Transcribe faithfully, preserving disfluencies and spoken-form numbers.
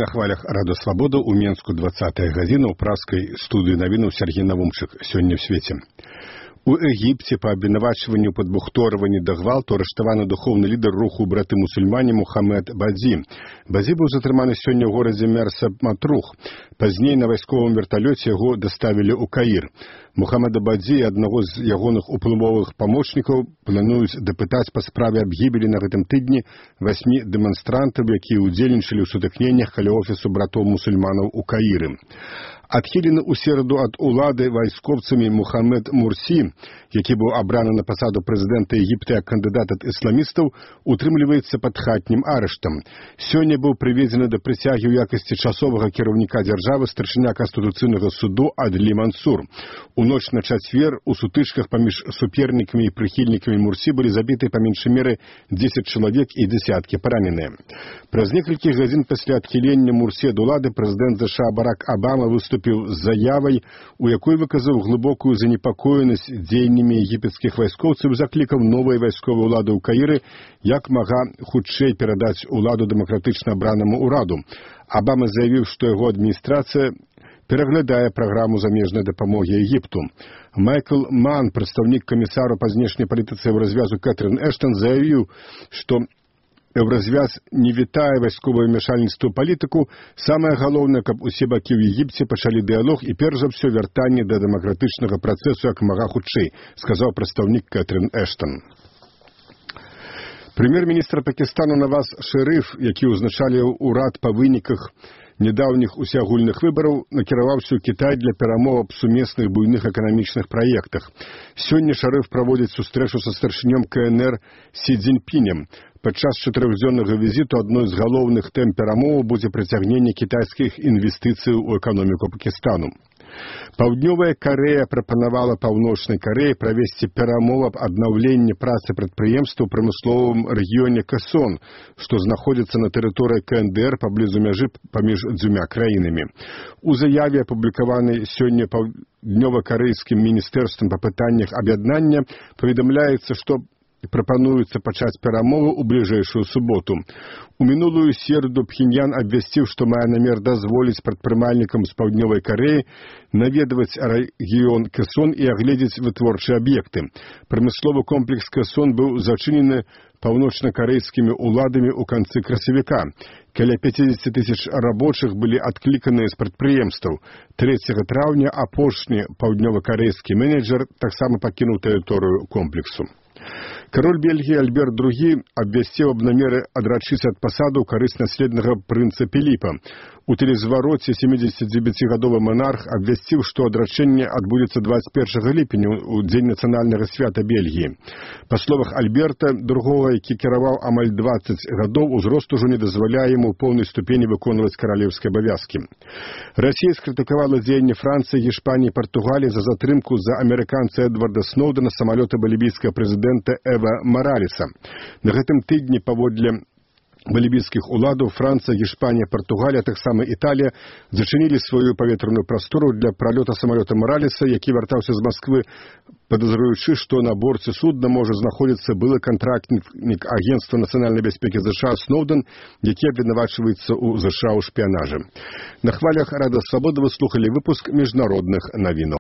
На хвалях Рада Свабода у Менску двадцатая гадзіна ў праскай студыі навінаў Сергей Навумчык. Сёння ў свеце. У Егіпце па абвінавачванню падбухторванні да гвалту арыштаваны духоўны лідар руху браты-мусульмане Мухаммед Бадзі. Бадзі быў затрыманы сёння ў горадзе Мерса Матрух. Пазней на вайсковым верталёце яго даставілі ў Каір. Мухаммеда Бадзі і аднаго з ягоных уплывовых памочнікаў плануюць дапытаць па справе аб гібелі на гэтым тыдні васьмі дэманстрантаў, якія ўдзельнічалі ў сутыкненнях каля офісу братоў-мусульманаў у Каіры. Адхілены ў сераду ад улады вайскоўцамі Мухаммед Мурсі, які быў абраны на пасаду прэзідэнта Егіпта як кандыдат ад ісламістаў, утрымліваецца пад хатнім арыштам. Сёння быў прыведзены да прысягі ў якасці часовага кіраўніка дзяржавы старшыня Канстытуцыйнага суду Адлі Мансур. У ноч на чацвер у сутычках паміж супернікамі і прыхільнікамі Мурсі былі забіты па меншай меры дзесяць чалавек і дзесяткі параненыя. Праз некалькі гадзін пасля адхілення Мурсі ад улады прэзідэнт ЗША Барак Абама выступіў з заявай, у якой выказаў глыбокую занепакоенасць дзеяннямі егіпецкіх вайскоўцаў і заклікаў новай вайсковай улады ў Каіры як мага хутчэй перадаць уладу дэмакратычна абранаму ўраду. Абама заявіў, што яго адміністрацыя пераглядае праграму замежнай дапамогі Егіпту. Майкл Ман, прадстаўнік камісару па знешняй палітыцы Еўразвязу Кэтрын Эштон, заявіў, што Еўразвяз не вітае вайсковае ўмяшальніцтва ў палітыку. Самае галоўнае, каб усе бакі ў Егіпце пачалі дыялог і перш за ўсё вяртанне да дэмакратычнага працэсу як мага хутчэй, сказаў прадстаўнік Кэтрын Эштон. Прэм'ер-міністр Пакістану Наваз Шэрыф, які ўзначаліў урад па выніках недаўніх усеагульных выбараў, накіраваўся ў Кітай для перамоў аб сумесных буйных эканамічных праектах. Сёння Шарыф праводзіць сустрэчу са старшынём КНР Сі Цзіньпінем. Падчас чатырохдзённага візіту адной з галоўных тэм перамоваў будзе прыцягненне кітайскіх інвестыцыяў у эканоміку Пакістану. Паўднёвая Карэя прапанавала Паўночнай Карэі правесці перамовы аб аднаўленні працы прадпрыемстваў у прамысловым рэгіёне Кэсон, што знаходзіцца на тэрыторыі КНДР паблізу мяжы паміж дзвюма краінамі. У заяве, апублікаванай сёння паўднёва-карэйскім міністэрствам па пытаннях аб'яднання, паведамляецца, што прапануецца пачаць перамовы ў бліжэйшую суботу. У мінулую сераду Пхеньян абвясціў, што мае намер дазволіць прадпрымальнікам з Паўднёвай Карэі наведваць рэгіён Кэсон і агледзець вытворчыя аб'екты. Прамысловы комплекс Кэсон быў зачынены паўночна-карэйскімі ўладамі ў канцы красавіка. Каля пяцьдзесят тысяч рабочых былі адкліканыя з прадпрыемстваў. трэцяга траўня апошні паўднёва-карэйскі менеджер таксама пакінуў тэрыторыю комплексу. Кароль Бельгіі Альберт другі абвясціў аб намеры адрачыцца ад пасаду ў карысць наследнага прынца Філіпа. У тэлезвароце сямідзесяцідзевяцігадовы манарх абвясціў, што адрачэнне адбудзецца дваццаць першага ліпеня ў дзень нацыянальнага свята Бельгіі. Па словах Альберта другога, які кіраваў амаль дваццаць гадоў, узрост ужо не дазваляе яму ў поўнай ступені выконваць каралеўскія абавязкі. Расія скрытыкавала дзеянні Францыі, Гішпаніі і Партугаліі за затрымку за амерыканца Эдварда Сноудена самалёта балівійскага прэзідэнта Эва Маралеса. На гэтым тыдні паводле балівійскіх уладаў Францыя, Гішпанія, Партугалія, таксама Італія зачынілі сваю паветраную прастору для пралёта самалёта Маралеса, які вяртаўся з Масквы, падазруючы, што на борце судна можа знаходзіцца былы кантрактнік агенцтва нацыянальнай бяспекі ЗША Сноуден, які абвінавачваецца ў ЗША ў шпіянажы. На хвалях Рада Свабода вы слухалі выпуск міжнародных навінаў.